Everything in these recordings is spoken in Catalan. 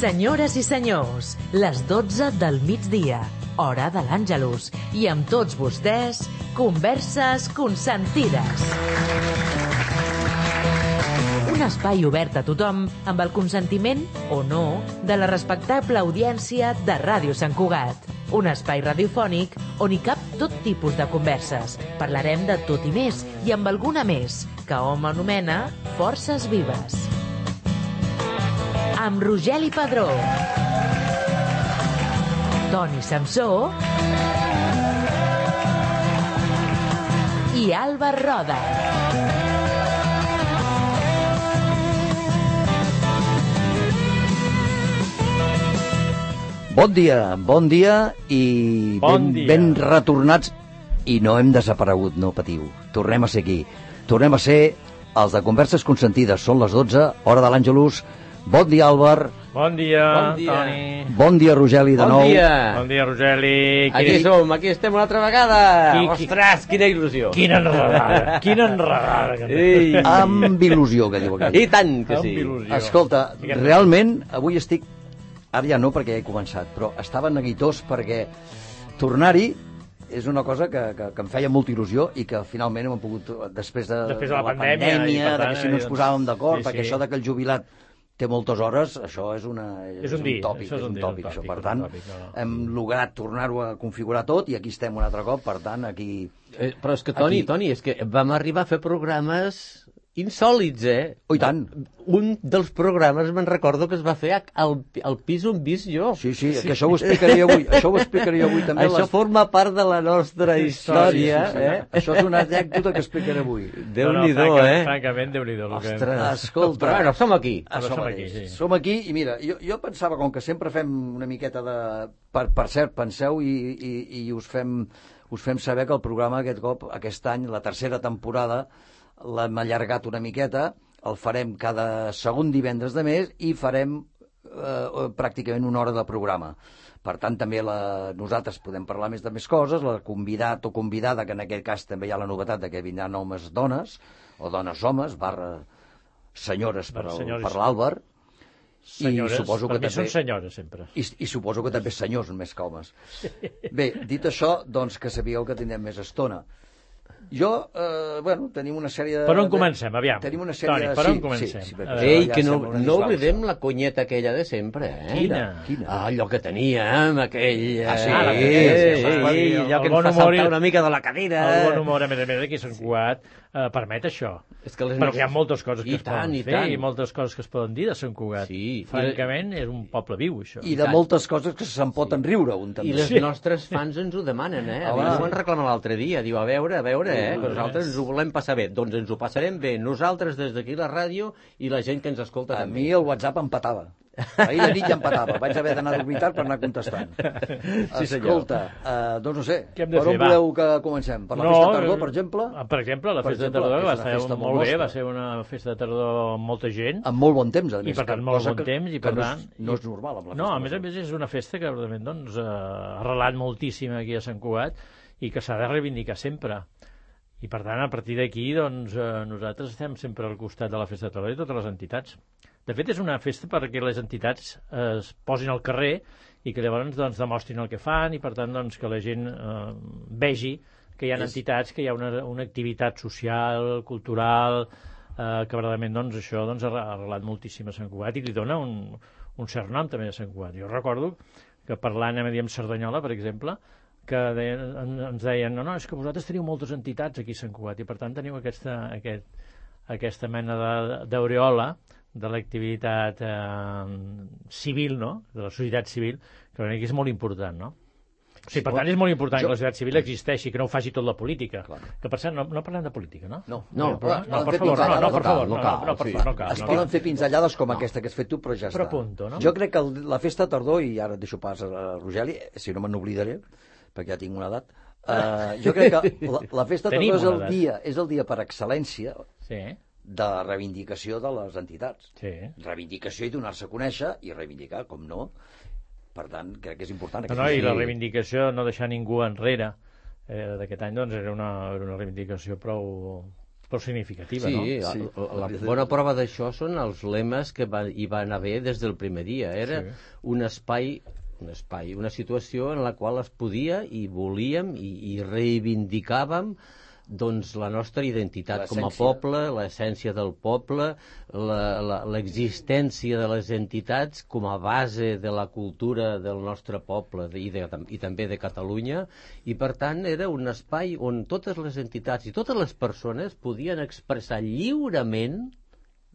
Senyores i senyors, les 12 del migdia, hora de l'Àngelus, i amb tots vostès, Converses Consentides. Un espai obert a tothom amb el consentiment, o no, de la respectable audiència de Ràdio Sant Cugat. Un espai radiofònic on hi cap tot tipus de converses. Parlarem de tot i més, i amb alguna més, que hom anomena Forces Vives. Amb Rogeli Padró, Toni Samsó i Àlvar Roda. Bon dia i ben retornats. I no hem desaparegut, no patiu. Tornem a ser aquí. Tornem a ser els de Converses Consentides. Són les 12, hora de l'Àngelus. Bon dia, Àlvar. Bon dia, Toni. Bon dia, Rogeli, de nou. Bon dia, Rogeli. Aquí som, aquí estem una altra vegada. Ostres, quina il·lusió. Quina enredada. Amb il·lusió, que diu aquell. I tant que sí. Escolta, realment, avui estic... Ara ja no, perquè ja he començat, però estava neguitós perquè tornar-hi és una cosa que em feia molta il·lusió i que finalment hem pogut, després de la pandèmia, que si no ens posàvem d'acord, perquè això de que el jubilat té moltes hores, això és un tòpic, això. Per tant, hem lograt tornar-ho a configurar tot i aquí estem un altre cop, per tant, aquí... Però és que, Toni, és que vam arribar a fer programes insòlits, Oh, i tant. Un dels programes me'n recordo que es va fer al pis on vis jo. Sí, que això ho explicaré avui. Això ho explicaré avui també. Això forma part de la nostra història. Això és una anècdota que explicaré avui. Déu-n'hi-do, Francament, Déu-n'hi-do. Ostres, escolta. Però bueno, som aquí. Som aquí i mira, jo pensava, com que sempre fem una miqueta de... Per cert, penseu i us fem saber que el programa aquest any, la tercera temporada, l'hem allargat una miqueta, el farem cada segon divendres de mes i farem pràcticament una hora de programa. Per tant, també nosaltres podem parlar de més coses, la convidat o convidada, que en aquest cas també hi ha la novetat de que vindran homes-dones, o dones-homes, senyores per l'Àlvar. Senyores, per mi són senyores sempre. I suposo que també senyors més que homes. Bé, dit això, doncs que sabíeu que tindrem més estona. Tenim una sèrie de... Per on comencem, aviam? Tenim una sèrie Toni, per on comencem? Ei, que no oblidem la conyeta aquella de sempre, Quina? Allò que teníem, aquell... allò que ens fa saltar una mica de la cadira. El bon humor, a més aquí a Sant Cugat, permet això. Però hi ha moltes coses que es poden fer i moltes coses que es poden dir de Sant Cugat. Francament, és un poble viu, això. I de moltes coses que se'n poten riure, un també. I les nostres fans ens ho demanen, Ho van reclamar l'altre dia. Diu, a veure, que nosaltres ens ho volem passar bé. Doncs ens ho passarem bé nosaltres des d'aquí la ràdio i la gent que ens escolta també. A mi el WhatsApp empatava. Ahir de nit ja empatava. Vaig haver d'anar a dormir tard per anar contestant. Escolta, doncs no sé, per on voleu que comencem? Per la festa de tardor, per exemple? Per exemple, la festa de tardor va ser molt bé, va ser una festa de tardor amb molta gent. Amb molt bon temps, a més. I per tant, molt bon temps, i per tant... No és normal amb la festa. No, a més és una festa que ha arrelat moltíssim aquí a Sant Cugat i que s'ha de reivindicar sempre. I per tant, a partir d'aquí, nosaltres estem sempre al costat de la festa de tardor i totes les entitats. De fet, és una festa perquè les entitats es posin al carrer i que llavors demostrin el que fan i per tant que la gent vegi que hi ha entitats, que hi ha una activitat social, cultural, que verdaderament això ha arrelat moltíssim a Sant Cugat i li dona un cert nom també a Sant Cugat. Jo recordo que parlant amb Cerdanyola, per exemple, que ens deien, no, és que vosaltres teniu moltes entitats aquí a Sant Cugat i per tant teniu aquesta mena d'aureola de l'activitat civil, no?, de la societat civil, que és molt important, no? O sigui, per tant, és molt important que la societat civil existeixi, que no ho faci tot la política. Que, per cert, no parlem de política, no? No, per favor, no cal. Es poden fer pinzellades com aquesta que has fet tu, però ja està. Però punto, no? Jo crec que la festa de tardor, i ara deixo pas a Rogeli, si no me n'oblidaré, perquè ja tinc una edat, jo crec que la festa de tardor és el dia per excel·lència de reivindicació de les entitats. Reivindicació i donar-se a conèixer i reivindicar, com no. Per tant, crec que és important. I la reivindicació, no deixar ningú enrere d'aquest any, doncs era una reivindicació prou però significativa, no? Sí, la bona prova d'això són els lemes que hi van haver des del primer dia. Era un espai, una situació en la qual es podia i volíem i reivindicàvem doncs la nostra identitat com a poble, l'essència del poble, l'existència de les entitats com a base de la cultura del nostre poble i també de Catalunya, i per tant era un espai on totes les entitats i totes les persones podien expressar lliurement,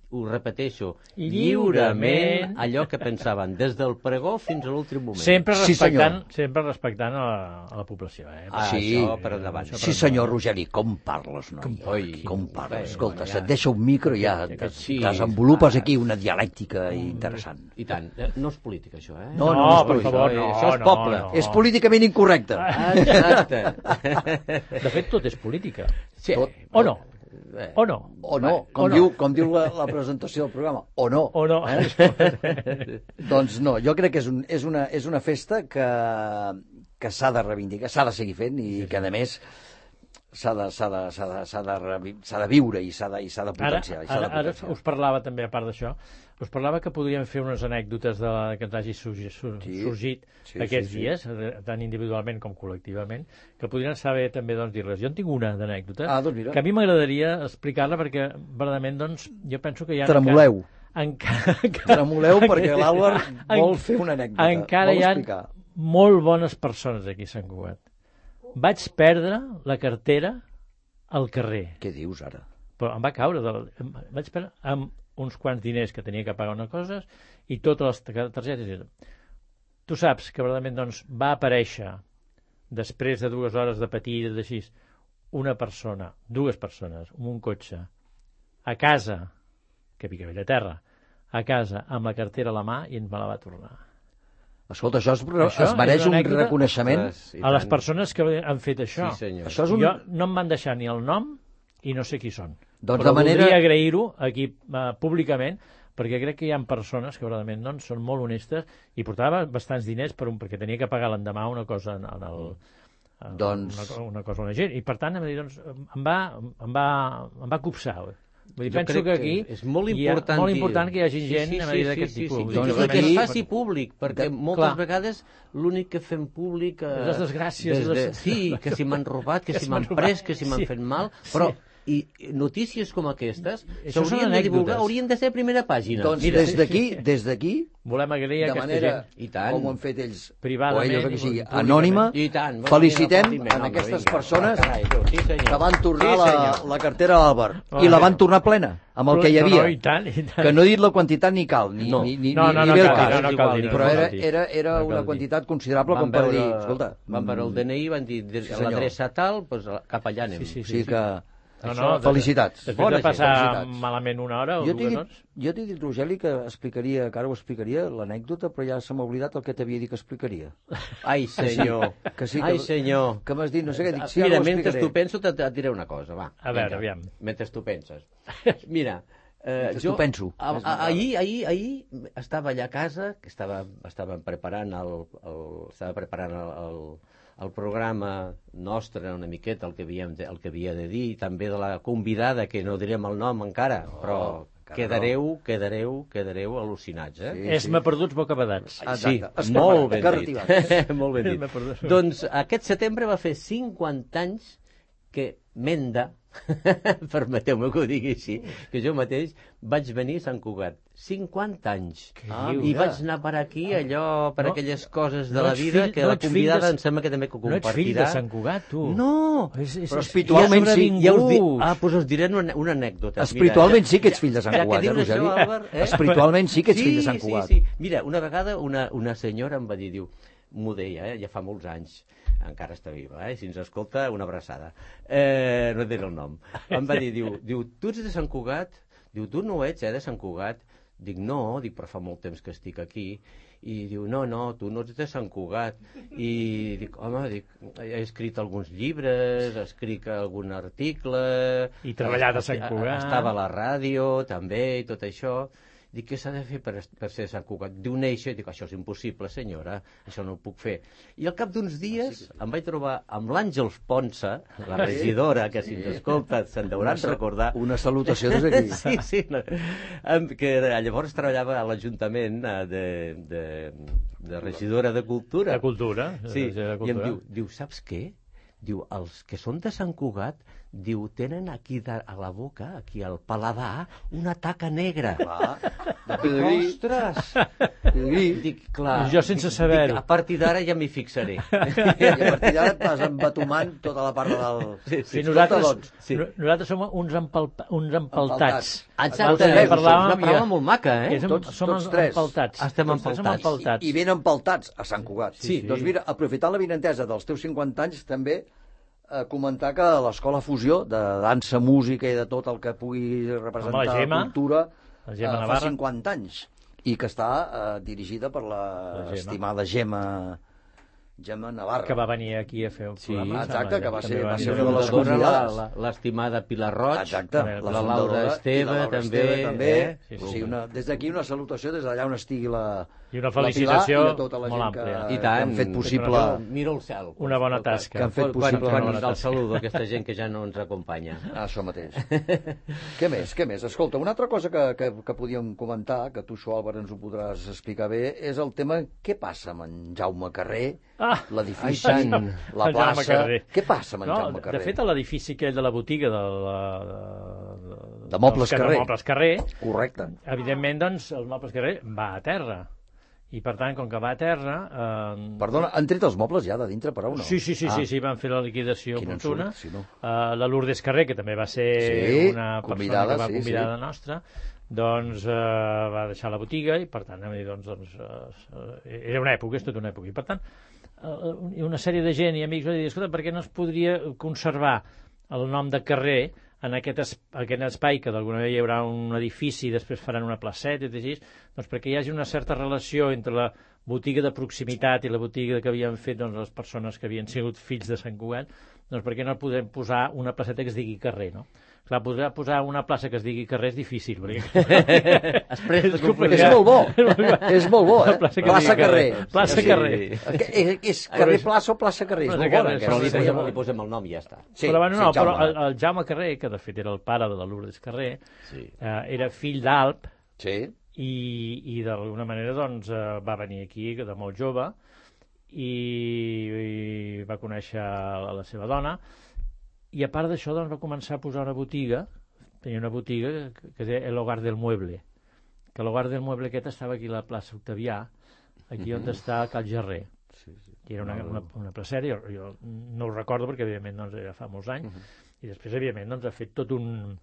ho repeteixo, lliurement allò que pensaven, des del pregó fins a l'últim moment. Sempre respectant a la població. Això per endavant. Sí, senyor Rogeri, com parles, noi? Com parles? Escolta, se't deixa un micro i ja desenvolupes aquí una dialèctica interessant. I tant. No és política, això, eh? No, per favor, no. Això és poble. És políticament incorrecte. Exacte. De fet, tot és política. O no? O no? O no, com diu la presentació del programa. O no. O no. Doncs no, jo crec que és una festa que s'ha de reivindicar, s'ha de seguir fent i que, a més, s'ha de viure i s'ha de potenciar. Ara us parlava també, a part d'això, us parlava que podríem fer unes anècdotes que ens hagi sorgit aquests dies, tant individualment com col·lectivament, que podrien saber també dir-les. Jo en tinc una d'anècdota que a mi m'agradaria explicar-la perquè, verdament, jo penso que hi ha... Tremoleu. Tremoleu perquè l'Àlvar vol fer una anècdota. Encara hi ha molt bones persones aquí a Sant Cugat. Vaig perdre la cartera al carrer. Què dius ara? Però em va caure. Vaig perdre amb uns quants diners que tenia que pagar una cosa i totes les targetes. Tu saps que verdament va aparèixer després de 2 hores de patir i d'així dues persones, amb un cotxe, a casa, que pica bella terra, a casa, amb la cartera a la mà i ens me la va tornar. Escolta, això es mereix un reconeixement a les persones que han fet això. Sí, senyor. Jo no em van deixar ni el nom i no sé qui són. Doncs però voldria agrair-ho aquí públicament, perquè crec que hi ha persones que verdament són molt honestes i portava bastants diners perquè tenia que pagar l'endemà una cosa una cosa a una gent, i per tant em va copsar. Penso que aquí és molt important que hi hagi gent d'aquest tipus. I que es faci públic, perquè moltes vegades l'únic que fem públic... Les desgràcies. Sí, que si m'han robat, que si m'han pres, que si m'han fet mal, però... I notícies com aquestes s'haurien de divulgar, haurien de ser a primera pàgina. Doncs des d'aquí volem agrair a aquesta gent, com ho han fet ells, privadament, o ells, anònima, felicitem a aquestes persones que van tornar la cartera a l'Àlvar i la van tornar plena, amb el que hi havia. Que no he dit la quantitat ni cal, ni ve el cas, però era una quantitat considerable com per dir, escolta... Van veure el DNI, van dir l'adreça tal, cap allà anem. Sí que... felicitats. Després de passar malament una hora o 2 hores. Jo t'he dit, Rogeli, que ara ho explicaria, l'anècdota, però ja se m'ha oblidat el que t'havia dit que explicaria. Ai, senyor. Ai, senyor. Que m'has dit, no sé què dic. Mira, mentre tu penso, et diré una cosa, va. A veure, aviam. Mentre tu penses. Mira, jo penso. Ahir estava allà a casa, que estàvem preparant el programa nostre una miqueta, el que havia de dir, també de la convidada, que no direm el nom encara, però quedareu al·lucinats, eh? És-me perduts bocabadats. Sí, molt ben dit. Molt ben dit. Doncs aquest setembre va fer 50 anys que Menda, permeteu-me que ho digui així, que jo mateix vaig venir a Sant Cugat. 50 anys. I vaig anar per aquí, aquelles coses de la vida, que la convidada em sembla que també que compartirà. No ets fill de Sant Cugat, tu. No! Però espiritualment sí. Doncs us diré una anècdota. Espiritualment sí que ets fill de Sant Cugat, Rogeli. Espiritualment sí que ets fill de Sant Cugat. Mira, una vegada una senyora em va dir, m'ho deia, ja fa molts anys, encara està viva, si ens escolta, una abraçada, no diré el nom, em va dir, diu, tu ets de Sant Cugat? Diu, tu no ets, de Sant Cugat? Dic, no, però fa molt temps que estic aquí. I diu, no, tu no ets de Sant Cugat. I dic, home, he escrit alguns llibres, he escrit algun article... I treballat a Sant Cugat. Estava a la ràdio, també, i tot això. Dic, què s'ha de fer per ser de Sant Cugat? Diu néixer, dic, això és impossible, senyora, això no ho puc fer. I al cap d'uns dies em vaig trobar amb l'Àngels Ponsa, la regidora, que si ens escolta se'n deuran recordar. Una salutació des d'aquí. Sí, no. Que llavors treballava a l'Ajuntament de regidora de Cultura. De Cultura. Sí, i em diu, saps què? Diu, els que són de Sant Cugat, diu, tenen aquí a la boca, aquí al paladar, una taca negra. Clar, Dic, ostres! Dic, clar. Jo sense saber-ho. A partir d'ara ja m'hi fixaré. I a partir d'ara et vas embatumant tota la part del... Sí, nosaltres som uns empaltats. Exacte, és una paraula molt maca, eh? Som tres. empaltats. Estem empaltats. I ben empaltats a Sant Cugat. Sí. Doncs mira, aprofitant la vinentesa dels teus 50 anys, també comentar que l'Escola Fusió, de dansa, música i de tot el que pugui representar la Gemma, cultura, Gemma fa 50 anys, i que està dirigida per l'estimada Gemma Navarra. Que va venir aquí a fer un programa. Exacte, que va ser una de les convidades. L'estimada Pilar Roig, exacte, la Laura Esteve, també. Sí, des d'aquí una salutació des d'allà on estigui i una felicitació la Pilar i tota la molt gent àmplia. que han fet possible... Mira el cel. Una bona tasca. Que han fet possible... Quan el saludo a aquesta gent que ja no ens acompanya. Això mateix. Què més? Escolta, una altra cosa que podíem comentar, que tu, això, Álvaro, ens ho podràs explicar bé, és el tema què passa amb en Jaume Carrer, l'edifici, la plaça... Què passa amb en Jaume Carrer? De fet, l'edifici aquell de la botiga de Mobles Carrer, correcte. Evidentment, doncs, el Mobles Carrer va a terra. I, per tant, com que va a terra... Perdona, han tret els mobles ja de dintre, però no? Sí, van fer la liquidació oportuna. Si no. La Lourdes Carrer, que també va ser una persona que va convidada nostra, doncs va deixar la botiga i, per tant, era una època, és tota una època. I, per tant, una sèrie de gent i amics van dir, escolta, per què no es podria conservar el nom de carrer en aquest espai, que d'alguna manera hi haurà un edifici i després faran una placeta i així, doncs perquè hi hagi una certa relació entre la botiga de proximitat i la botiga que havien fet les persones que havien sigut fills de Sant Cugat, doncs per què no podem posar una placeta que es digui carrer, no? Clar, podrà posar una plaça que es digui carrer és difícil, perquè... És molt bo, eh? Plaça Carrer. Plaça Carrer. És carrer plaça o plaça Carrer? És molt bona. Però li posem el nom i ja està. Però el Jaume Carrer, que de fet era el pare de la Lourdes Carrer, era fill d'Alp, i d'alguna manera doncs va venir aquí de molt jove i va conèixer la seva dona, i a part d'això doncs va començar a posar una botiga, tenia una botiga que es deia El Hogar del Mueble, que l'Hogar del Mueble aquest estava aquí a la plaça Octavià, aquí on està Cal Gerrer, que era una placera, jo no ho recordo perquè evidentment doncs, era fa molts anys, i després evidentment doncs, ha fet tot un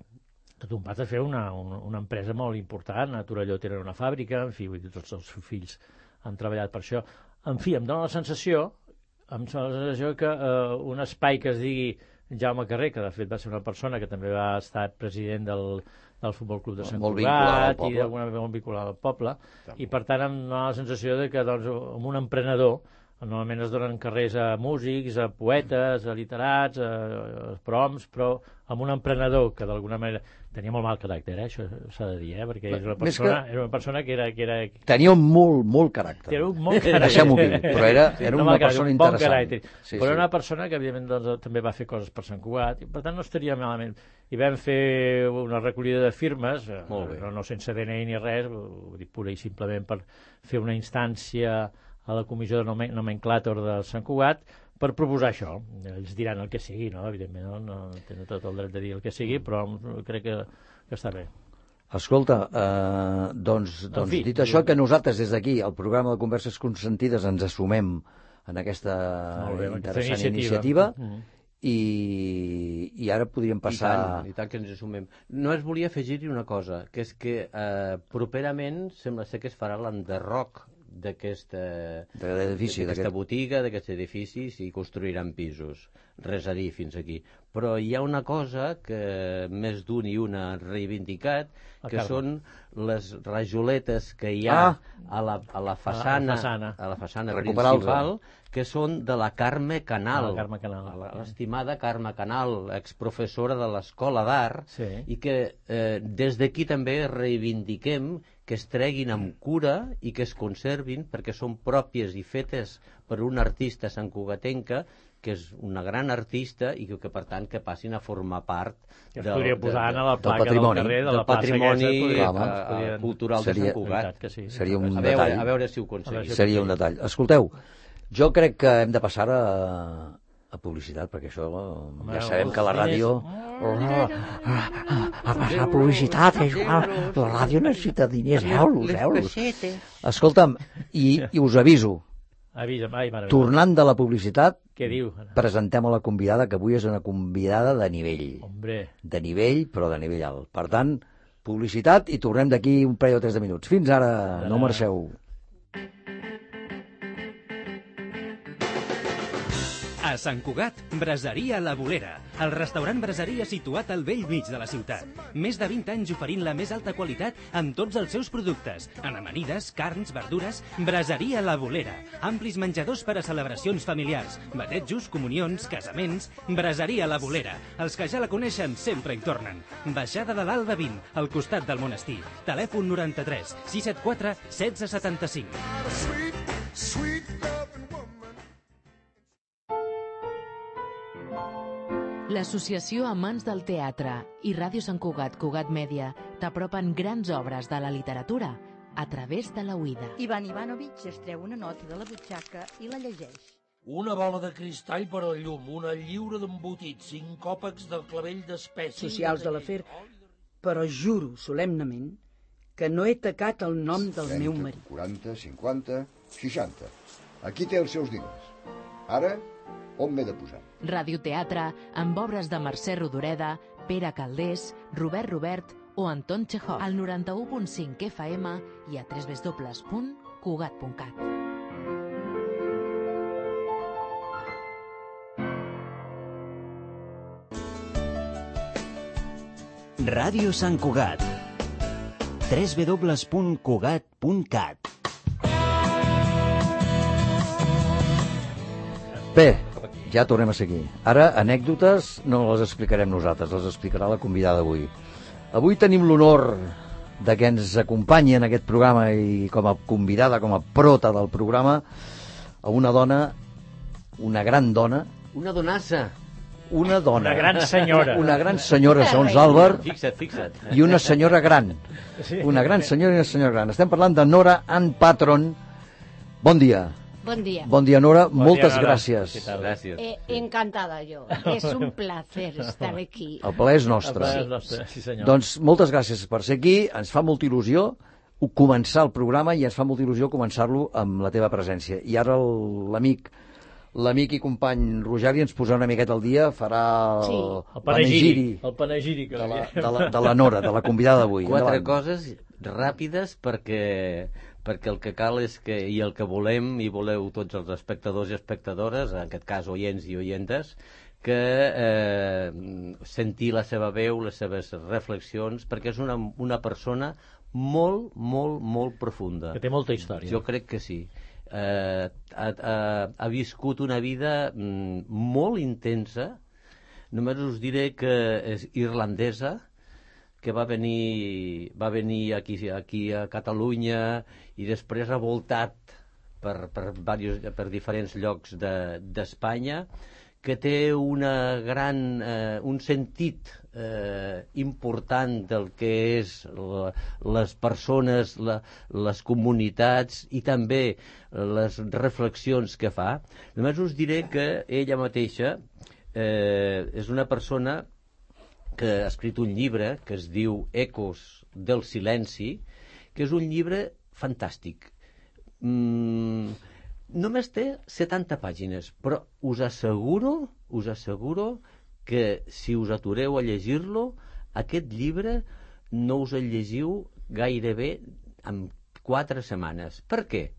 pas de fer una empresa molt important. A Torelló tenen una fàbrica, en fi, tots els seus fills han treballat per això. En fi, em dóna la sensació que un espai que es digui Jaume Carrer, que de fet va ser una persona que també va estar president del Futbol Club de Sant Cugat i d'alguna manera molt vinculat al poble, i per tant em dóna la sensació que doncs, amb un emprenedor normalment es donen carrers a músics, a poetes, a literats, a proms, però amb un emprenedor que d'alguna manera tenia molt mal caràcter, això s'ha de dir, perquè era una persona que era... Tenia molt caràcter. Deixem-ho dir, però era una persona interessant. Però era una persona que, evidentment, doncs, també va fer coses per Sant Cugat, i per tant no estaria malament. I vam fer una recollida de firmes, no sense DNI ni res, ho dic pura i simplement per fer una instància a la comissió de nomenclàtor de Sant Cugat per proposar això. Ells diran el que sigui, no? Evidentment no tenen tot el dret de dir el que sigui, però crec que està bé. Escolta, doncs dit això, que nosaltres des d'aquí, al programa de Converses Consentides, ens assumem en aquesta interessant iniciativa i ara podríem passar... I tant que ens assumem. No es volia afegir-hi una cosa, que és que properament sembla ser que es farà l'enderroc d'aquesta botiga, d'aquests edificis, i construiran pisos. Res a dir fins aquí. Però hi ha una cosa que més d'un i una han reivindicat, que són les rajoletes que hi ha a la façana principal, que són de la Carme Canal, l'estimada Carme Canal, exprofessora de l'Escola d'Art, i que des d'aquí també reivindiquem que es treguin amb cura i que es conservin perquè són pròpies i fetes per un artista santcugatenca que és una gran artista i que per tant que passin a formar part que es podria posar a la placa del carrer de la plaça patrimoni cultural de Sant Cugat. Seria un detall. A veure si ho aconseguim. Seria un detall. Escolteu, jo crec que hem de passar a publicitat, perquè això ja sabem que la ràdio... A passar a publicitat, Joan. La ràdio necessita diners, euros. Escolta'm, i us aviso, tornant de la publicitat, presentem a la convidada, que avui és una convidada de nivell. De nivell, però de nivell alt. Per tant, publicitat i tornem d'aquí un parell o 3 de minuts. Fins ara, no marxeu. A Sant Cugat, Braseria La Bolera, el restaurant braseria situat al vell mig de la ciutat. Més de 20 anys oferint la més alta qualitat amb tots els seus productes, en amanides, carns, verdures. Braseria La Bolera, amplis menjadors per a celebracions familiars, batejos, comunions, casaments. Braseria La Bolera, els que ja la coneixen sempre hi tornen. Baixada de l'Alba 20, al costat del monestir. Telèfon 93 674 1675. L'Associació Amants del Teatre i Ràdio Sant Cugat, Cugat Mèdia, t'apropen grans obres de la literatura a través de la oïda. Ivan Ivanovic es treu una nota de la butxaca i la llegeix. Una bola de cristall per al llum, una lliura d'embotit, 5 còpecs del clavell d'espècie... Socials de l'afer, però juro solemnament que no he tacat el nom del 30, meu marit. 40, 50, 60. Aquí té els seus diners. Ara, on m'he de posar? Radioteatre amb obres de Mercè Rodoreda, Pere Calders, Robert o Anton Chekhov al 91.5 FM i a www.cugat.cat. Ràdio Sant Cugat. www.cugat.cat. Bé, ja tornem a seguir. Ara, anècdotes no les explicarem nosaltres, les explicarà la convidada d'avui. Avui tenim l'honor de que ens acompanyi en aquest programa i com a convidada, com a prota del programa, a una dona, una gran dona... Una donassa. Una dona. Una gran senyora. Una gran senyora, segons Àlvar. Fixa't. I una senyora gran. Una gran senyora i una senyora gran. Estem parlant de Nora Ann Patron. Bon dia. Bon dia. Bon dia, Nora. Bon Moltes dia, Nora. gràcies. Gràcies. Encantada yo. Es un placer estar aquí. El plaer és nostre. Sí, senyor. Doncs moltes gràcies per ser aquí. Ens fa molta il·lusió començar el programa i ens fa molta il·lusió començar-lo amb la teva presència. I ara l'amic i company Rogeri ens posarà una miqueta al dia, farà el panegiri. El panegiri que de la Nora, de la convidada d'avui. 4 coses ràpides perquè el que cal és que, i el que volem, i voleu tots els espectadors i espectadores, en aquest cas oients i oientes, que sentir la seva veu, les seves reflexions, perquè és una persona molt, molt, molt profunda. Que té molta història. Jo crec que sí. Ha viscut una vida molt intensa. Només us diré que és irlandesa, que va venir aquí a Catalunya i després ha voltat per diferents llocs d'Espanya, que té un sentit important del que és les persones, les comunitats i també les reflexions que fa. Només us diré que ella mateixa és una persona que ha escrit un llibre que es diu Ecos del silenci, que és un llibre fantàstic. Només té 70 pàgines, però us asseguro que si us atureu a llegir-lo, aquest llibre no us el llegiu gairebé en 4 setmanes. Per què?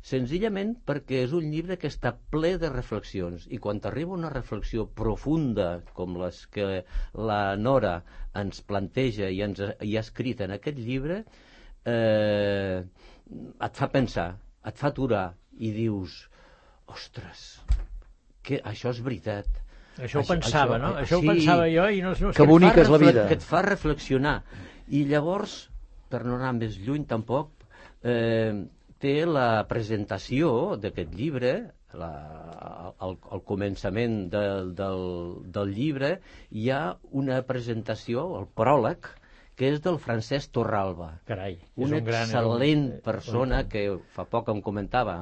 Senzillament perquè és un llibre que està ple de reflexions, i quan t'arriba una reflexió profunda com les que la Nora ens planteja i ha escrit en aquest llibre, et fa pensar, et fa aturar i dius, ostres, que això és veritat. Això ho pensava, no? Això ho pensava jo i no... Que bonica és la vida. Que et fa reflexionar. I llavors per no anar més lluny tampoc, té la presentació d'aquest llibre, al començament del llibre, hi ha una presentació, el pròleg, que és del Francesc Torralba. Carai, una excel·lent persona que fa poc em comentava,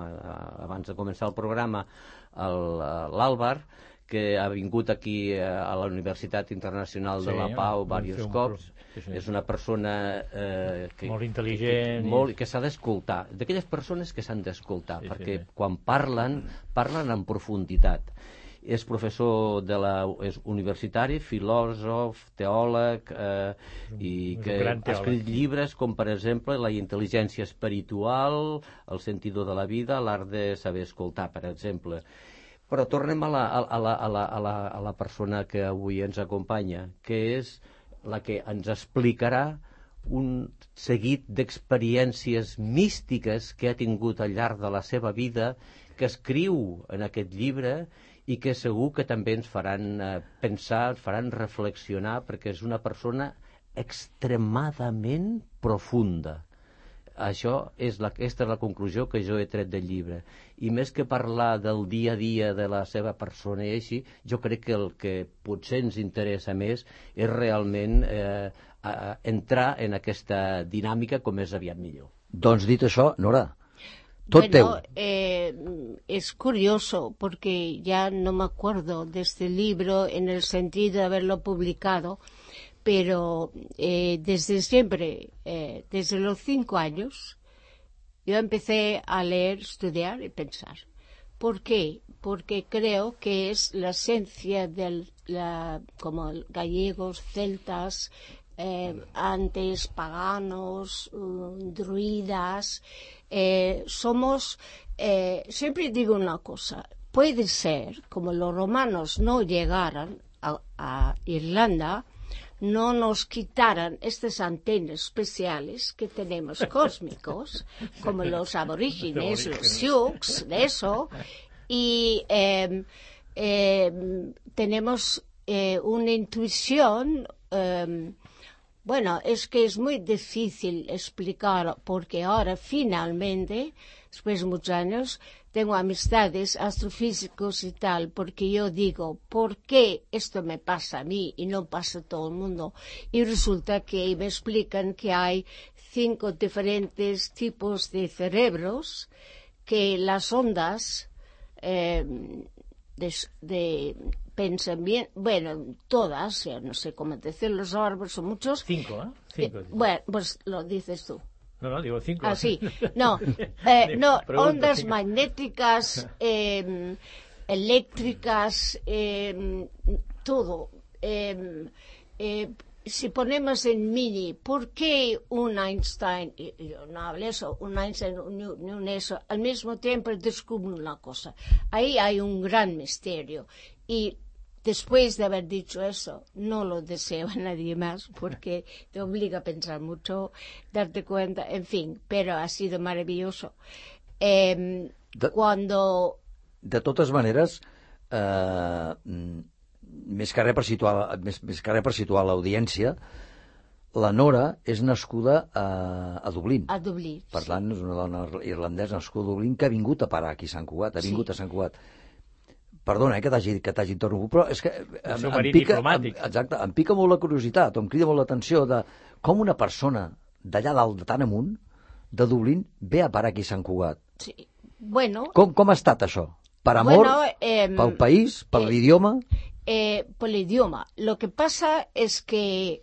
abans de començar el programa, l'Àlvar, que ha vingut aquí a la Universitat Internacional de la Pau diversos cops. És una persona molt intel·ligent, que s'ha d'escoltar, d'aquelles persones que s'han d'escoltar, perquè quan parlen en profunditat. És professor és universitari, filòsof, teòleg, i que ha escrit llibres com, per exemple, La intel·ligència espiritual, El sentido de la vida, L'art de saber escoltar, per exemple. Però tornem a la persona que avui ens acompanya, que és la que ens explicarà un seguit d'experiències místiques que ha tingut al llarg de la seva vida, que escriu en aquest llibre i que segur que també ens faran pensar, ens faran reflexionar, perquè és una persona extremadament profunda. Aquesta és la conclusió que jo he tret del llibre. I més que parlar del dia a dia de la seva persona i així, jo crec que el que potser ens interessa més és realment entrar en aquesta dinàmica com més aviat millor. Doncs dit això, Nora, tot teu. Es curioso porque ya no me acuerdo de este libro en el sentido de haberlo publicado, pero desde siempre, desde los 5 años, yo empecé a leer, estudiar y pensar. ¿Por qué? Porque creo que es la esencia como gallegos, celtas, antes paganos, druidas, somos, siempre digo una cosa, puede ser, como los romanos no llegaran a Irlanda, no nos quitaran estas antenas especiales que tenemos cósmicos, como los aborígenes, los sioux, de eso, y tenemos una intuición. Bueno, es que es muy difícil explicar, porque ahora finalmente, después de muchos años, tengo amistades, astrofísicos y tal, porque yo digo, ¿por qué esto me pasa a mí y no pasa a todo el mundo? Y resulta que me explican que hay 5 diferentes tipos de cerebros, que las ondas de pensamiento, bueno, todas, ya no sé cómo decir, los árboles son muchos. 5, ¿eh? 5. Bueno, pues lo dices tú. No, digo 5. Ah, sí. No, ondas 5. Magnéticas, eléctricas, todo. Si ponemos en mini, ¿por qué un Einstein, yo no hablo eso, un Einstein, un eso, al mismo tiempo descubre una cosa? Ahí hay un gran misterio. Y después de haber dicho eso, no lo deseo a nadie más, porque te obliga a pensar mucho, darte cuenta, en fin, pero ha sido maravilloso. Cuando... De totes maneres, més que res per situar l'audiència, la Nora és nascuda a Dublín. A Dublín, per tant, és una dona irlandesa nascuda a Dublín que ha vingut a parar aquí a Sant Cugat, a Sant Cugat. Perdona, que t'hagi interromput, però és que em pica molt la curiositat, em crida molt l'atenció de com una persona d'allà dalt, de tan amunt, de Dublín, ve a parar aquí a Sant Cugat. Sí. Bueno... Com ha estat això? Per amor? Pel país? Per l'idioma? Por el idioma. Lo que pasa es que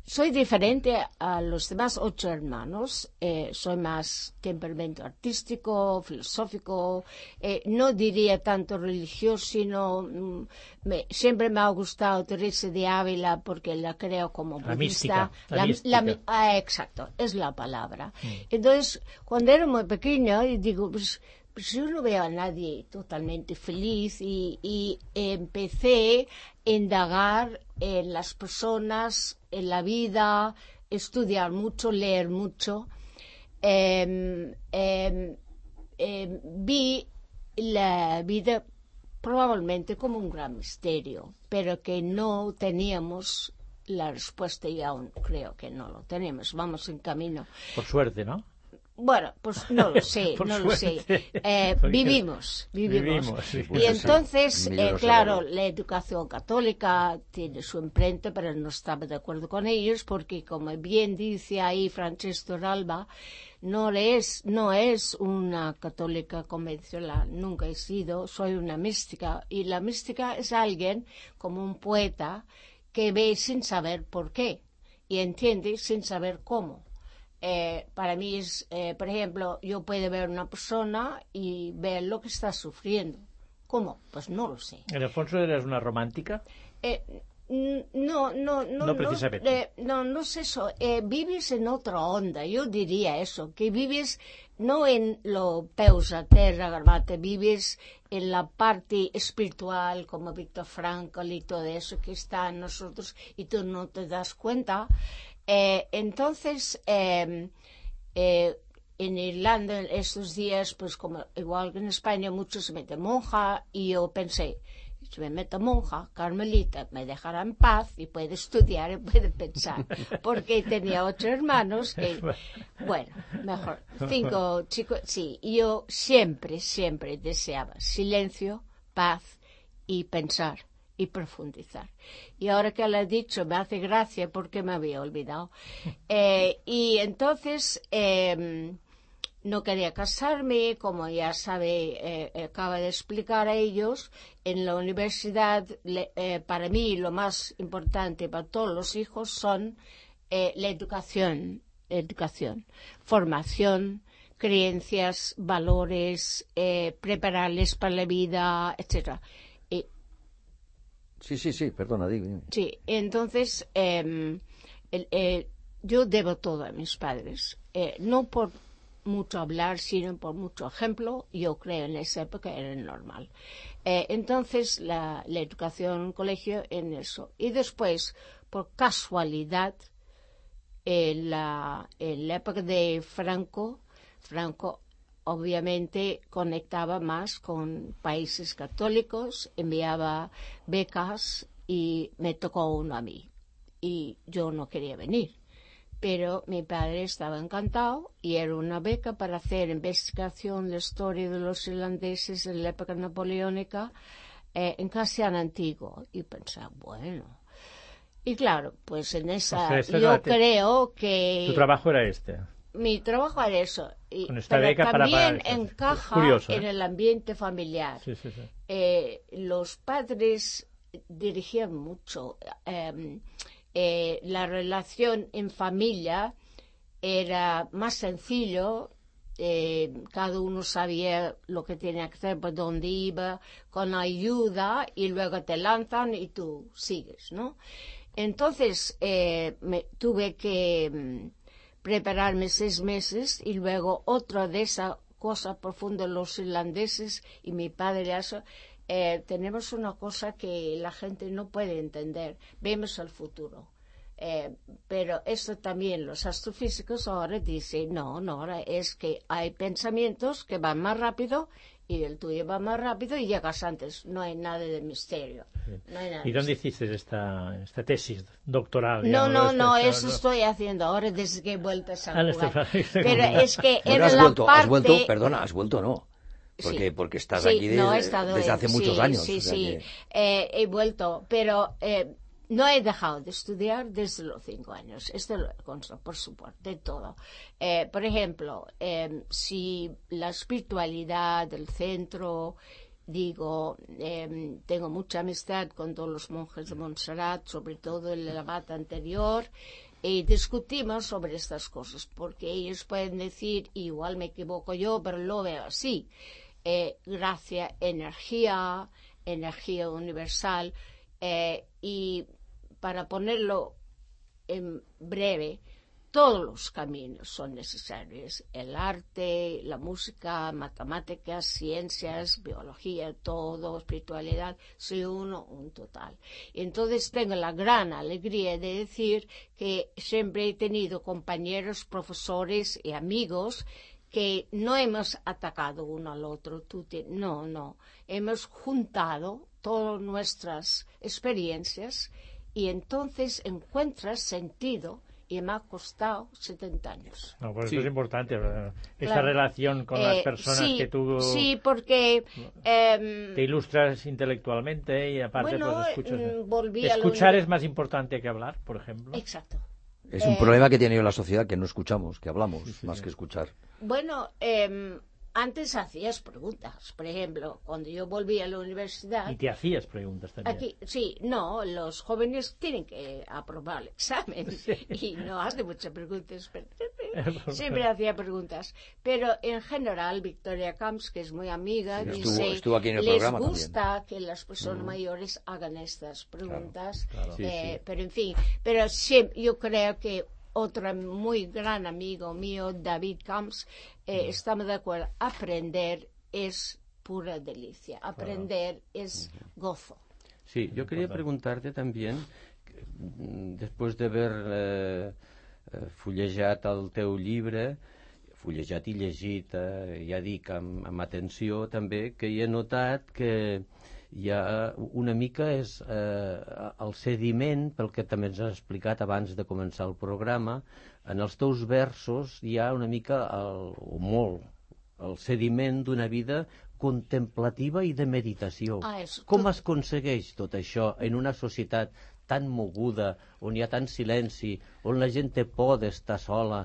soy diferente a los demás 8 hermanos. Soy más temperamento artístico, filosófico, no diría tanto religioso, sino siempre me ha gustado Teresa de Ávila porque la creo como budista. La mística. Exacto, es la palabra. Entonces, cuando era muy pequeña, digo, pues yo no veo a nadie totalmente feliz y empecé a indagar en las personas, en la vida, estudiar mucho, leer mucho. Vi la vida probablemente como un gran misterio, pero que no teníamos la respuesta y aún creo que no lo tenemos. Vamos en camino. Por suerte, ¿no? Bueno, pues no lo sé, no lo sé. Vivimos. Sí. Y entonces, claro, la educación católica tiene su imprenta, pero no estaba de acuerdo con ellos porque, como bien dice ahí Francesco Ralba, no es una católica convencional, nunca he sido, soy una mística. Y la mística es alguien, como un poeta, que ve sin saber por qué y entiende sin saber cómo. Para mí es, por ejemplo, yo puedo ver una persona y ver lo que está sufriendo. ¿Cómo? Pues no lo sé. ¿En Alfonso eres una romántica? No precisamente. No es eso. Vives en otra onda. Yo diría eso, que vives no en lo peus a terra, garbate, vives en la parte espiritual, como Víctor Frankl y todo eso que está en nosotros y tú no te das cuenta. Entonces, en Irlanda estos días, pues como igual que en España, muchos se meten monja y yo pensé, si me meto monja, carmelita, me dejará en paz y puede estudiar y puede pensar, porque tenía 8 hermanos y, bueno, mejor, 5 chicos, sí, yo siempre deseaba silencio, paz y pensar y profundizar. Y ahora que lo he dicho, me hace gracia porque me había olvidado. Y entonces no quería casarme, como ya sabe, acaba de explicar a ellos, en la universidad, para mí lo más importante para todos los hijos son la educación, formación, creencias, valores, prepararles para la vida, etcétera. Sí, perdona, digo. Sí, entonces yo debo todo a mis padres, no por mucho hablar, sino por mucho ejemplo. Yo creo en esa época era normal. Entonces la educación en colegio en eso. Y después, por casualidad, en la época de Franco obviamente conectaba más con países católicos, enviaba becas y me tocó uno a mí. Y yo no quería venir, pero mi padre estaba encantado y era una beca para hacer investigación de la historia de los irlandeses en la época napoleónica en Castellano Antiguo. Y pensé, bueno. Y claro, pues en esa yo creo que... Tu trabajo era este. Mi trabajo era eso, con esta pero beca también para encaja curioso, en el ambiente familiar. Sí. Los padres dirigían mucho. La relación en familia era más sencillo. Cada uno sabía lo que tenía que hacer, por dónde iba, con ayuda, y luego te lanzan y tú sigues, ¿no? Entonces tuve que prepararme 6 meses y luego otra de esa cosa profunda los irlandeses y mi padre eso, tenemos una cosa que la gente no puede entender, vemos el futuro. Pero esto también los astrofísicos ahora dicen, no, ahora es que hay pensamientos que van más rápido y el tuyo va más rápido y llegas antes, no hay nada de misterio. Sí. No hay nada. ¿Y dónde hiciste esta tesis doctoral? No, eso estoy haciendo ahora desde que he vuelto a San Juan. Pero es que bueno, era la parte... has vuelto, ¿no? Porque estás sí, aquí desde hace muchos años. Sí, o sea sí. Que... He vuelto, pero no he dejado de estudiar desde los 5 años. Esto lo consta, por supuesto, de todo. Por ejemplo, si la espiritualidad del centro, digo, tengo mucha amistad con todos los monjes de Montserrat, sobre todo el abad anterior, y discutimos sobre estas cosas, porque ellos pueden decir, igual me equivoco yo, pero lo veo así. Gracia, energía universal, y para ponerlo en breve, todos los caminos son necesarios. El arte, la música, matemáticas, ciencias, biología, todo, espiritualidad, soy un total. Y entonces tengo la gran alegría de decir que siempre he tenido compañeros, profesores y amigos que no hemos atacado uno al otro. No. Hemos juntado todas nuestras experiencias y entonces encuentras sentido. Y me ha costado 70 años. No, pues eso es importante, esta relación con las personas que tú... Sí, porque... te ilustras intelectualmente y aparte pues escuchas... Escuchar es más importante que hablar, por ejemplo. Exacto. Es un problema que tiene la sociedad, que no escuchamos, que hablamos, más que escuchar. Bueno, antes hacías preguntas. Por ejemplo, cuando yo volví a la universidad... Y te hacías preguntas también. Los jóvenes tienen que aprobar el examen y no hacen muchas preguntas, pero siempre hacía preguntas. Pero en general, Victoria Camps, que es muy amiga, dice, estuvo aquí en el les programa gusta también. que las personas mayores hagan estas preguntas. Claro. Pero en fin, yo creo que otro muy gran amigo mío, David Camps, estamos de acuerdo. Aprender es pura delicia. Aprender es gozo. Sí, yo quería preguntarte también, després d'haver fullejat el teu llibre, fullejat i llegit, ja dic, amb atenció també, que hi he notat que hi ha una mica és el sediment, pel que també ens has explicat abans de començar el programa, en els teus versos hi ha una mica, o molt, el sediment d'una vida contemplativa i de meditació. Com es aconsegueix tot això en una societat tan moguda, on hi ha tant silenci, on la gent té por d'estar sola?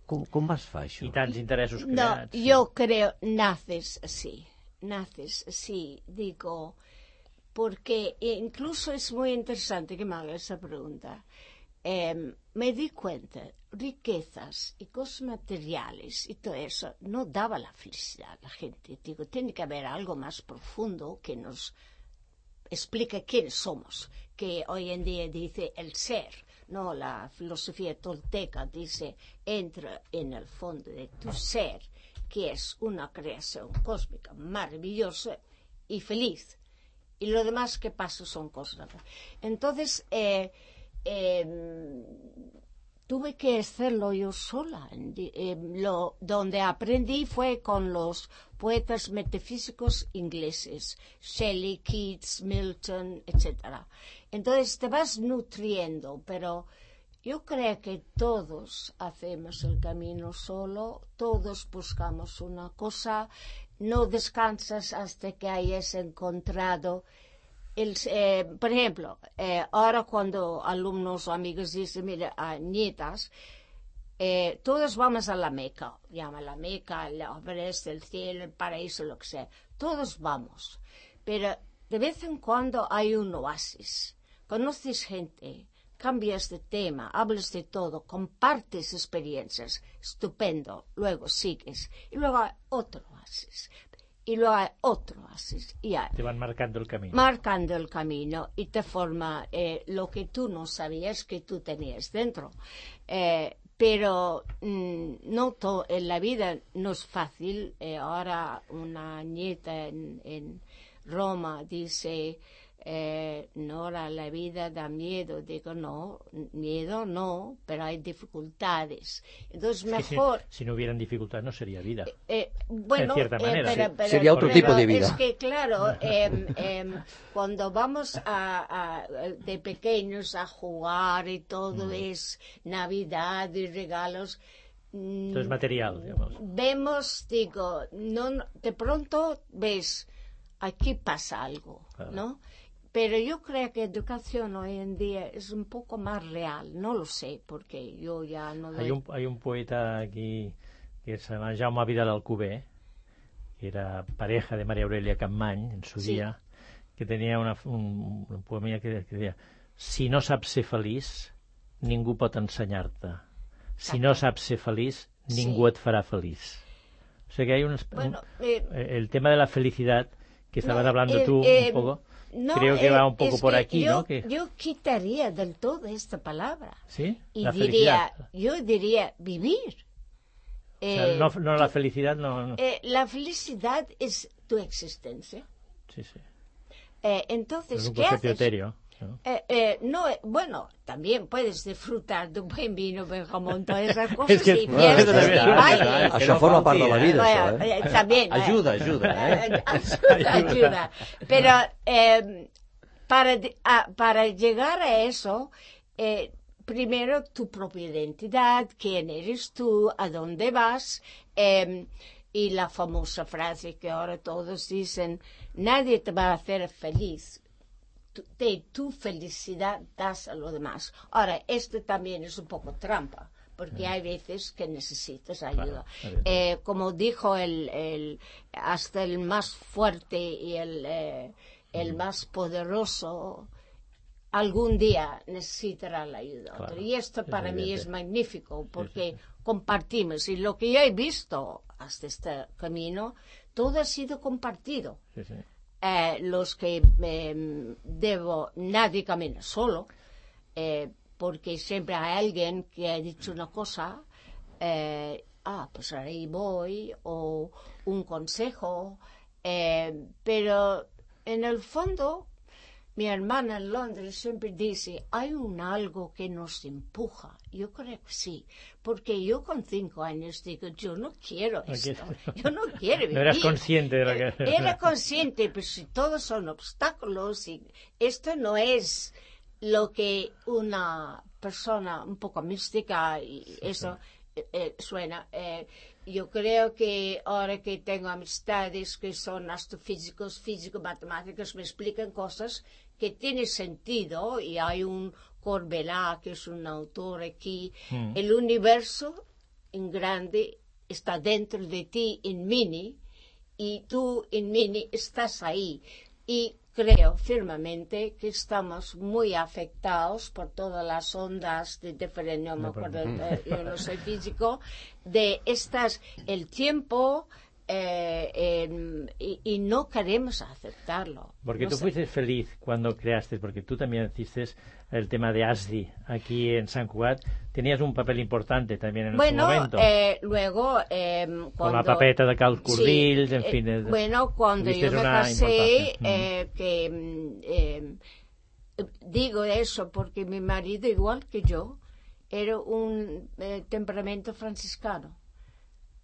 Com es fa això? I tants interessos creats. No, yo creo, naces así, digo, porque incluso es muy interesante que me haga esa pregunta. Me di cuenta, riquezas y cosas materiales y todo eso no daba la felicidad a la gente. Digo, tiene que haber algo más profundo que nos explique quiénes somos, que hoy en día dice el ser, no, la filosofía tolteca dice, entra en el fondo de tu ser, que es una creación cósmica maravillosa y feliz, y lo demás que pasa son cosas. Entonces, tuve que hacerlo yo sola. Donde aprendí fue con los poetas metafísicos ingleses, Shelley, Keats, Milton, etc. Entonces te vas nutriendo, pero yo creo que todos hacemos el camino solo, todos buscamos una cosa, no descansas hasta que hayas encontrado. Por ejemplo, ahora cuando alumnos o amigos dicen, mira, nietas, todos vamos a la Meca, llama la Meca, el Everest, el cielo, el paraíso, lo que sea, todos vamos, pero de vez en cuando hay un oasis, conoces gente, cambias de tema, hablas de todo, compartes experiencias, estupendo, luego sigues, y luego hay otro oasis. Y luego hay otro oasis. Te van marcando el camino. Marcando el camino y te forma lo que tú no sabías que tú tenías dentro. Pero no en la vida no es fácil. Ahora una nieta en Roma dice, Nora, la vida da miedo. Digo, no, miedo no, pero hay dificultades. Entonces mejor... Si no hubieran dificultades no sería vida. Bueno, en cierta manera. Sería otro tipo de vida. Es que claro, cuando vamos de pequeños a jugar y todo es Navidad y regalos... Entonces material, digamos. Vemos, digo, no, de pronto ves, aquí pasa algo, claro. ¿No? Pero yo creo que educación hoy en día es un poco más real, no lo sé, porque yo ya no... Hay un poeta aquí que se llama Jaume Vidal Alcover, que era pareja de María Aurelia Capmany en su día, que tenía un poema que decía: si no saps ser feliç, ningú pot ensenyar-te. Si no saps ser feliç, ningú et farà feliç. O sea que hay el tema de la felicidad que estabas hablando tú un poco... No, creo que va un poco por aquí, ¿no? Yo quitaría del todo esta palabra. ¿Sí? Y la yo diría vivir. O sea, no la felicidad, no. La felicidad es tu existencia. Sí, sí. Entonces, es un ¿qué haces? etéreo, ¿no? Bueno, también puedes disfrutar de un buen vino, buen jamón, todas esas cosas. Es que, y fiestas y bailes. Això forma part de la vida, También. Ayuda. Ayuda. Pero para llegar a eso, primero tu propia identidad, quién eres tú, a dónde vas, y la famosa frase que ahora todos dicen, nadie te va a hacer feliz, de tu felicidad das a los demás. Ahora, esto también es un poco trampa, porque hay veces que necesitas ayuda. Claro, como dijo hasta el más fuerte y el más poderoso, algún día necesitará la ayuda. Claro, y esto para mí es magnífico, porque compartimos. Y lo que yo he visto hasta este camino, todo ha sido compartido. Los que nadie camina solo, porque siempre hay alguien que ha dicho una cosa, pues ahí voy, o un consejo, pero en el fondo mi hermana en Londres siempre dice, hay algo que nos empuja. Yo creo que sí, porque yo con 5 años digo, yo no quiero esto, yo no quiero vivir. No eras consciente de lo que... Era consciente, pero si todos son obstáculos, y esto no es lo que una persona un poco mística, y eso suena... yo creo que ahora que tengo amistades que son astrofísicos, físicos, matemáticos, me explican cosas que tienen sentido, y hay un Corbelá, que es un autor aquí, el universo en grande está dentro de ti en mini, y tú en mini estás ahí, y creo firmemente que estamos muy afectados por todas las ondas de diferente, no me acuerdo, yo no soy físico, de el tiempo, y no queremos aceptarlo. Porque tú fuiste feliz cuando creaste, porque tú también hiciste el tema de ASDI aquí en Sant Cugat, tenías un papel importante también en ese momento. Luego, con la papeta de Carl Curdills, sí, en fin. Cuando yo me casé, digo eso porque mi marido, igual que yo, era un temperamento franciscano.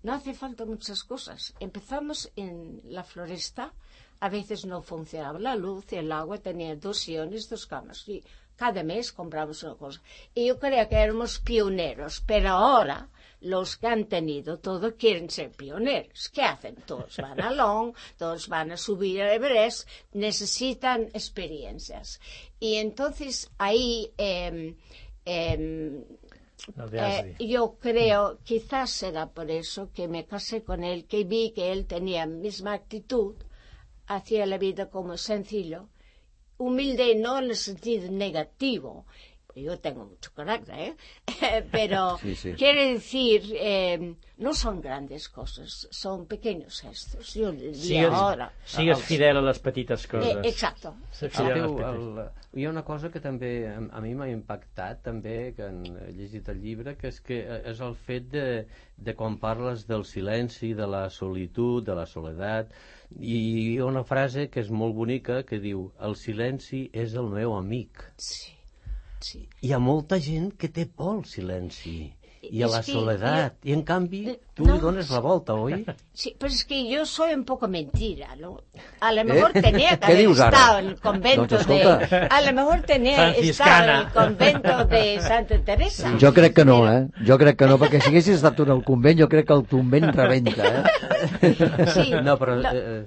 No hace falta muchas cosas. Empezamos en la floresta, a veces no funcionaba la luz, y el agua tenía 2 sillones, 2 camas, y cada mes compramos una cosa. Y yo creía que éramos pioneros, pero ahora los que han tenido todo quieren ser pioneros. ¿Qué hacen? Todos van a Long, todos van a subir a Everest, necesitan experiencias. Y entonces ahí... yo creo, quizás será por eso que me casé con él, que vi que él tenía la misma actitud, hacía la vida como sencillo, humilde no en el sentido negativo. Yo tengo mucho carácter, pero sí. Quiere decir, no son grandes cosas, son pequeños gestos. Yo diria ahora. Sigues fidel a les petites coses. Exacto. Hi ha una cosa que també a mi m'ha impactat, també, que he llegit el llibre, que és el fet de quan parles del silenci, de la solitud, de la soledat, i hi ha una frase que és molt bonica que diu, el silenci és el meu amic. Sí. Sí. Hi ha molta gent que té por al silenci y a la soledad, y en cambio tú le dones la vuelta, ¿oí? Sí, pero es que yo soy un poco mentira, ¿no? A lo mejor tenía que haber estado en el convento a lo mejor tenía estado en el convento de Santa Teresa. Jo crec que no, Jo crec que no, perquè si haguessis estat en el convent, jo crec que el convent rebenta, Sí, no, pero,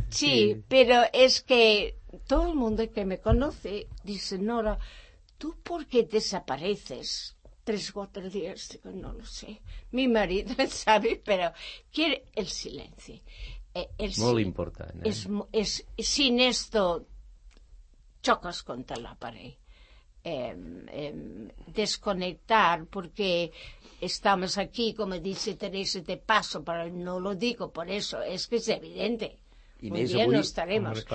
sí, pero es que todo el mundo que me conoce dice, Nora, ¿tú por qué desapareces 3 o 4 días? Digo, no lo sé. Mi marido sabe, pero quiere el silencio. Muy importante. Sin esto chocas contra la pared. Desconectar, porque estamos aquí, como dice Teresa, de paso, pero no lo digo por eso, es que es evidente. Un día no estaremos.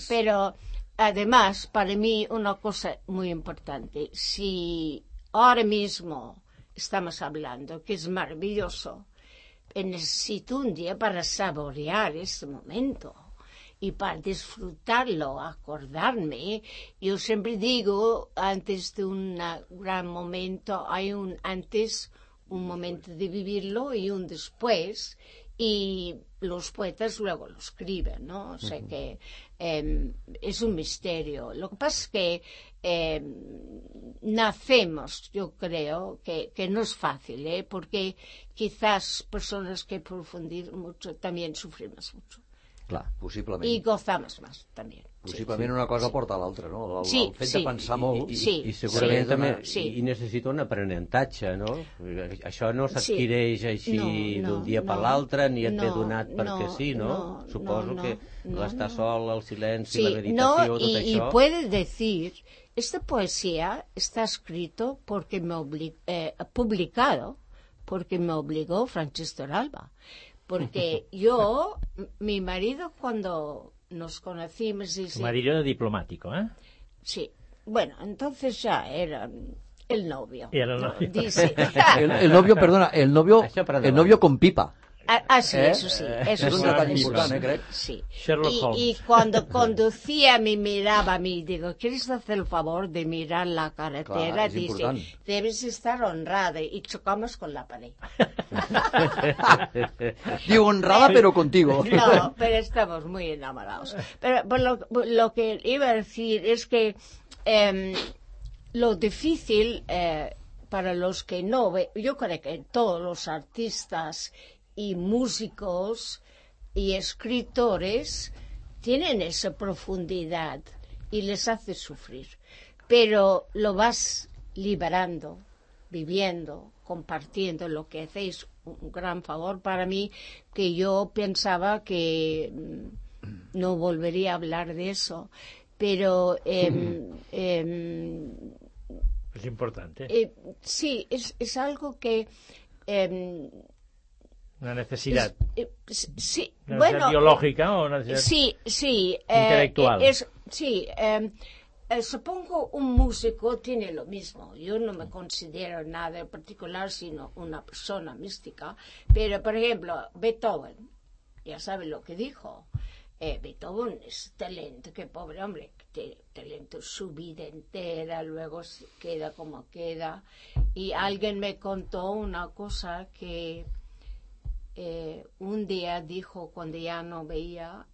Pero además, para mí, una cosa muy importante, si ahora mismo estamos hablando, que es maravilloso, necesito un día para saborear este momento y para disfrutarlo, acordarme. Yo siempre digo, antes de un gran momento, hay un antes, un momento de vivirlo y un después, y los poetas luego lo escriben, ¿no? O sea que es un misterio. Lo que pasa es que nacemos, yo creo, que no es fácil, porque quizás personas que profundizan mucho también sufrimos mucho. Clar, possiblement. I gozamos més, també. Possiblement una cosa porta a l'altra, no? El fet de pensar molt... I segurament també hi necessita un aprenentatge, no? Això no s'adquireix així d'un dia per l'altre, ni et ve donat perquè sí, no? Suposo que l'estar sol, el silenci, la meditació, tot això... Y puede decir, esta poesía está escrito porque publicado porque me obligó Francisco Torralba. Porque mi marido cuando nos conocimos... Su marido diplomático, ¿eh? Sí. Bueno, entonces ya era el novio. Era el novio. Dice, el novio, perdona, el novio con pipa. Sí, eso sí. Eso es un detalle importante, creo. Sí. Sherlock Holmes. Y cuando conducía me miraba a mí, digo, ¿quieres hacer el favor de mirar la carretera? Claro, dice, importante. Debes estar honrada. Y chocamos con la pared. Digo, honrada pero contigo. No, pero estamos muy enamorados. Pero lo que iba a decir es que lo difícil para los que no ven, yo creo que todos los artistas y músicos y escritores tienen esa profundidad y les hace sufrir, pero lo vas liberando, viviendo, compartiendo, lo que hacéis un gran favor para mí, que yo pensaba que no volvería a hablar de eso, pero es importante. Sí, es algo que una necesidad. Sí, ¿Una bueno, necesidad biológica o una necesidad intelectual? Supongo un músico tiene lo mismo. Yo no me considero nada en particular, sino una persona mística. Pero, por ejemplo, Beethoven, ya sabe lo que dijo. Beethoven es talento, que pobre hombre, talento su vida entera, luego queda como queda. Y alguien me contó una cosa que un día dijo, cuando ya no veía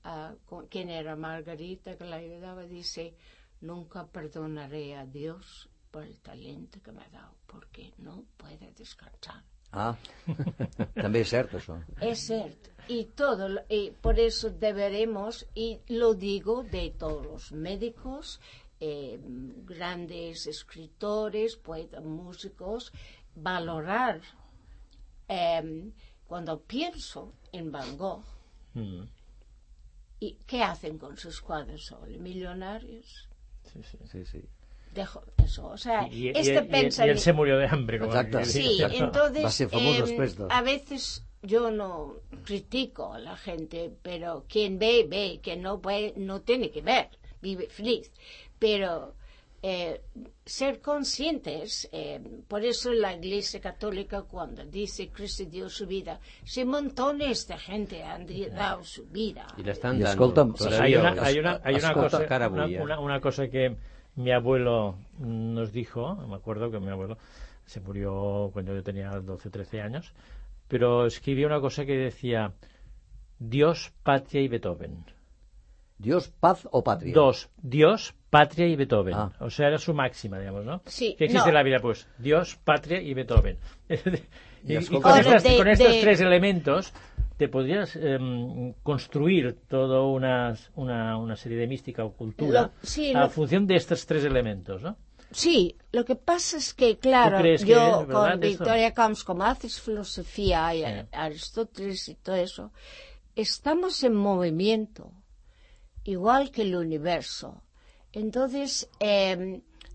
quién era Margarita, que la ayudaba, dice, nunca perdonaré a Dios por el talento que me ha dado, porque no puede descansar. També és cert, això. Es cierto. Y por eso deberemos, y lo digo de todos los médicos, grandes escritores, poetas, músicos, valorar. Cuando pienso en Van Gogh, ¿y qué hacen con sus cuadros hoy? ¿Millonarios? Sí. Dejo eso, o sea, pensamiento... Y él se murió de hambre. Exacto. Sí, entonces, va ser famoso després de... a veces yo no critico a la gente, pero quien ve, ve, quien no ve, no tiene que ver, vive feliz. Pero ser conscientes, por eso la Iglesia Católica cuando dice Cristo dio su vida, si montones de gente han dado su vida. Y la están dando. Hay una cosa que mi abuelo nos dijo, me acuerdo que mi abuelo se murió cuando yo tenía 12 o 13 años, pero escribió una cosa que decía Dios, patria y Beethoven. ¿Dios, paz o patria? Dios, patria y Beethoven. O sea, era su máxima, digamos, ¿no? Sí, ¿qué existe en la vida? Pues Dios, patria y Beethoven. y con estos tres elementos te podrías construir toda una serie de mística o cultura a función de estos tres elementos, ¿no? Sí, lo que pasa es que, claro, yo con Victoria Camps, como haces filosofía y Aristóteles y todo eso, estamos en movimiento, igual que el universo. Entonces,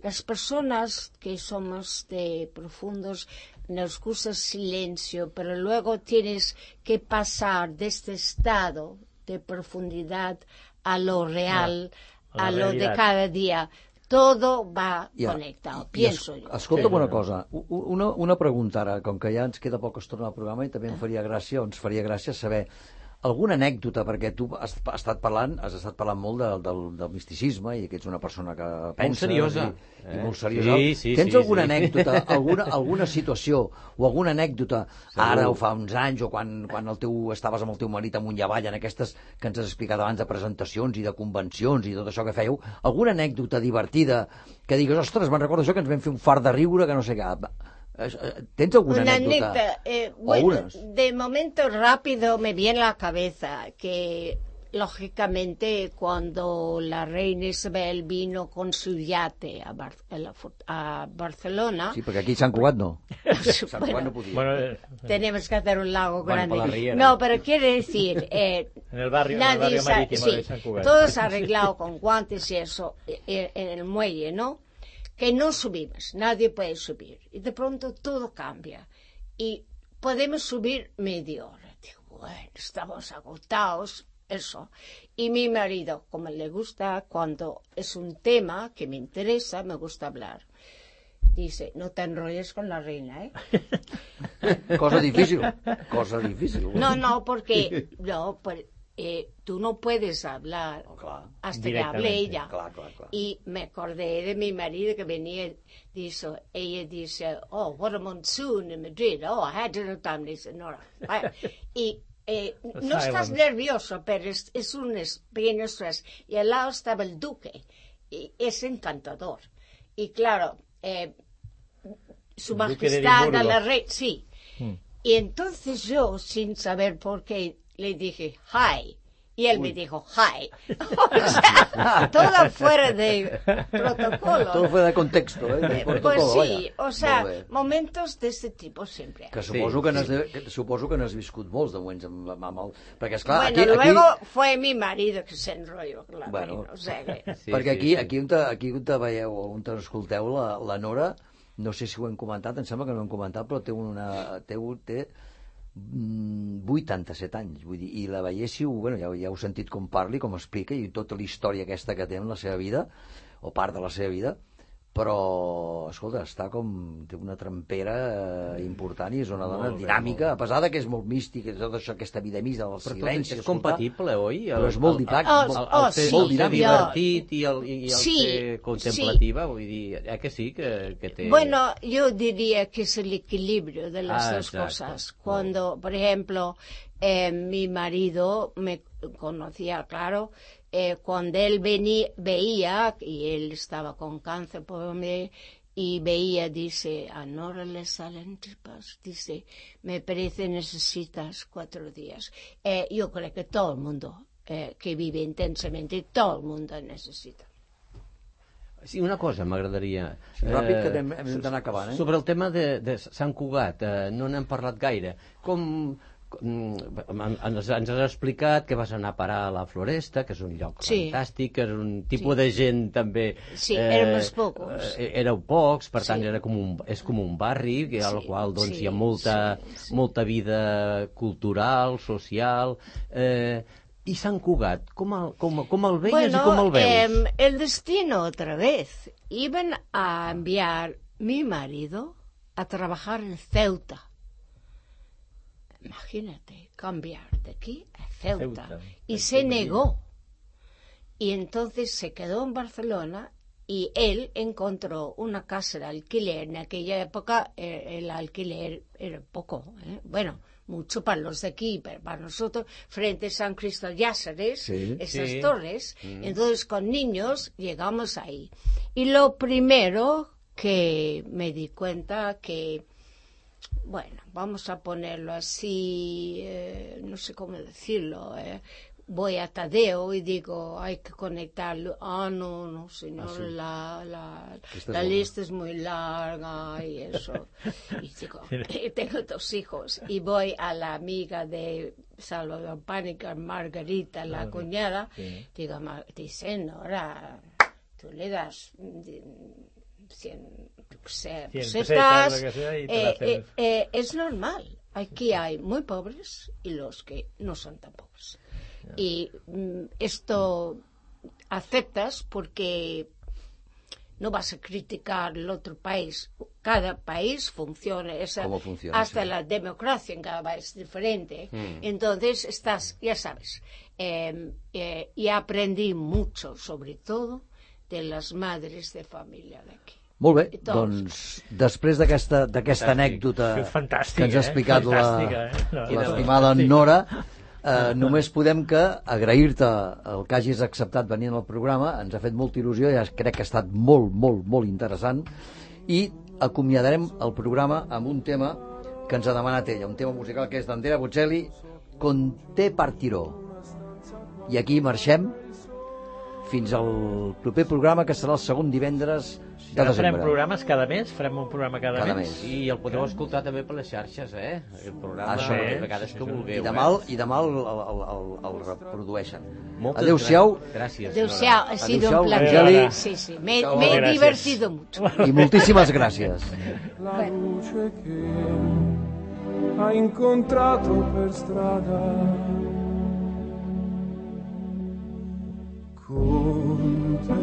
las personas que somos de profundos nos gusta el silencio, pero luego tienes que pasar de este estado de profundidad a lo real, a lo de cada día. Todo va connectat, pienso jo. Escolta'm una cosa, una pregunta ara, com que ja ens queda poca estona al programa i també ens faria gràcia saber alguna anècdota, perquè tu has estat parlant molt del misticisme i que ets una persona que pensa... seriosa. I molt seriosa. Sí, Tens alguna anècdota, alguna situació o alguna anècdota, ara o fa uns anys, o quan estaves amb el teu marit amunt i avall, en aquestes que ens has explicat abans de presentacions i de convencions i tot això que fèieu, alguna anècdota divertida que digues, ostres, me'n recordo això que ens vam fer un fart de riure, que no sé què... ¿Tienes alguna anécdota? Bueno, de momento rápido me viene a la cabeza que, lógicamente, cuando la reina Isabel vino con su yate a Barcelona... Sí, porque aquí Sant Cugat no. Sant Cugat no podía. Tenemos que hacer un lago grande. No, pero quiere decir... en el barrio marítimo de Sant Cugat. Todo se ha arreglado con guantes y eso en el muelle, ¿no? Que no subimos, nadie puede subir. Y de pronto todo cambia. Y podemos subir media hora. Digo, bueno, estamos agotados, eso. Y mi marido, como le gusta, cuando es un tema que me interesa, me gusta hablar. Dice, no te enrolles con la reina, ¿eh? Cosa difícil. No, porque... No, tú no puedes hablar hasta que hable ella. Claro. Y me acordé de mi marido que venía, ella dice, oh, what a monsoon in Madrid, oh, I had dinner time, dice, no. Y no estás nervioso, pero es un pequeño estrés. Y al lado estaba el duque, y es encantador. Y claro, su majestad a la reina, sí. Y entonces yo, sin saber por qué, le dije, hi. Y él me dijo, hi. O sea, todo fuera de protocolo. Todo fuera de contexto, de protocolo, pues sí, vaya. O sea, momentos d'este tipus sempre. Que suposo que n'has viscut molts de moments amb el... Perquè, esclar, bueno, luego fue mi marido que se enrolló, claro. Bueno, o sea que... perquè aquí on te veieu, on te escolteu, la Nora, no sé si ho hem comentat, em sembla que no ho hem comentat, però té 87 anys, vull dir, i la veiéssiu, bueno, ja heu sentit com parli, com explica, i tota la història aquesta que té en la seva vida, o part de la seva vida, però, escolta, té una trempera important i és una dona dinàmica, a pesar que és molt mística, tot això, aquesta vida misa, el silenci... Però és compatible, oi? Però és molt molt divertit i el ser contemplativa, vull dir, que sí, que té... Bueno, yo diría que es el equilibrio de las dos cosas. Cuando, por ejemplo, mi marido me conocía, claro... cuando él veía, y él estaba con cáncer, y veía, dice, a Nora le salen tripas, dice, me parece necesitas 4 días. Yo creo que todo el mundo que vive intensamente, todo el mundo necesita. Sí, una cosa m'agradaria... Ràpid, que hem d'anar acabant, Sobre el tema de Sant Cugat, no n'hem parlat gaire. Ens has explicat que vas anar a parar a la Floresta, que és un lloc fantàstic, que és un tipus de gent també... Sí, érem els pocs. Éreu pocs, per tant és com un barri al qual hi ha molta vida cultural, social... ¿Y Sant Cugat? ¿Cómo el veías y cómo el ves? El destino otra vez. Iban a enviar mi marido a trabajar en Ceuta. Imagínate, cambiar de aquí a Ceuta. Y se negó. Y entonces se quedó en Barcelona y él encontró una casa de alquiler. En aquella época el alquiler era poco, bueno, mucho para los de aquí, pero para nosotros, frente a San Cristóbal Yáceres, esas torres. Entonces con niños llegamos ahí. Y lo primero que me di cuenta que, bueno, vamos a ponerlo así, no sé cómo decirlo, voy a Tadeo y digo, hay que conectarlo. No, señor, la lista es muy larga y eso. Y digo, tengo 2 hijos. Y voy a la amiga de Salvador Pánica, Margarita, la cuñada, digo, dice, Nora, tú le das 100 pesetas, es normal. Aquí hay muy pobres y los que no son tan pobres. Y esto aceptas porque no vas a criticar el otro país. Cada país funciona, hasta la democracia en cada país es diferente. Entonces estás, ya sabes, y aprendí mucho, sobre todo, de las madres de familia de aquí. Molt bé, doncs després d'aquesta anècdota que ens ha explicat l'estimada Nora, només podem que agrair-te el que hagis acceptat venir al programa. Ens ha fet molta il·lusió, ja crec que ha estat molt, molt, molt interessant, i acomiadarem el programa amb un tema que ens ha demanat ella, un tema musical que és d'Andrea Bocelli, Con te partirò. I aquí marxem fins al proper programa, que serà el segon divendres de desembre. Farem programes cada mes? Farem un programa cada mes? I el podeu escoltar també per les xarxes, el programa, de vegades que vulgueu. I demà el reprodueixen. Adéu-siau. Gràcies. Adéu-siau, ha sido un placer. Sí, sí, me he divertido mucho. I moltíssimes gràcies. La luce che ha incontrato per strada, con te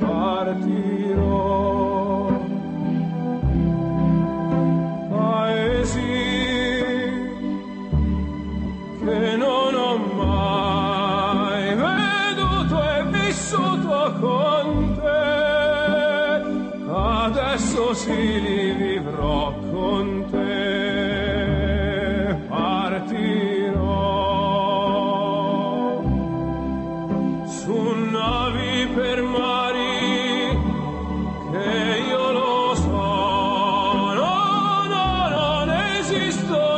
partirò, paesi che non ho mai veduto e vissuto con te, adesso sì li vivrò con te, partirò su navi per mari che io lo so, no, non esisto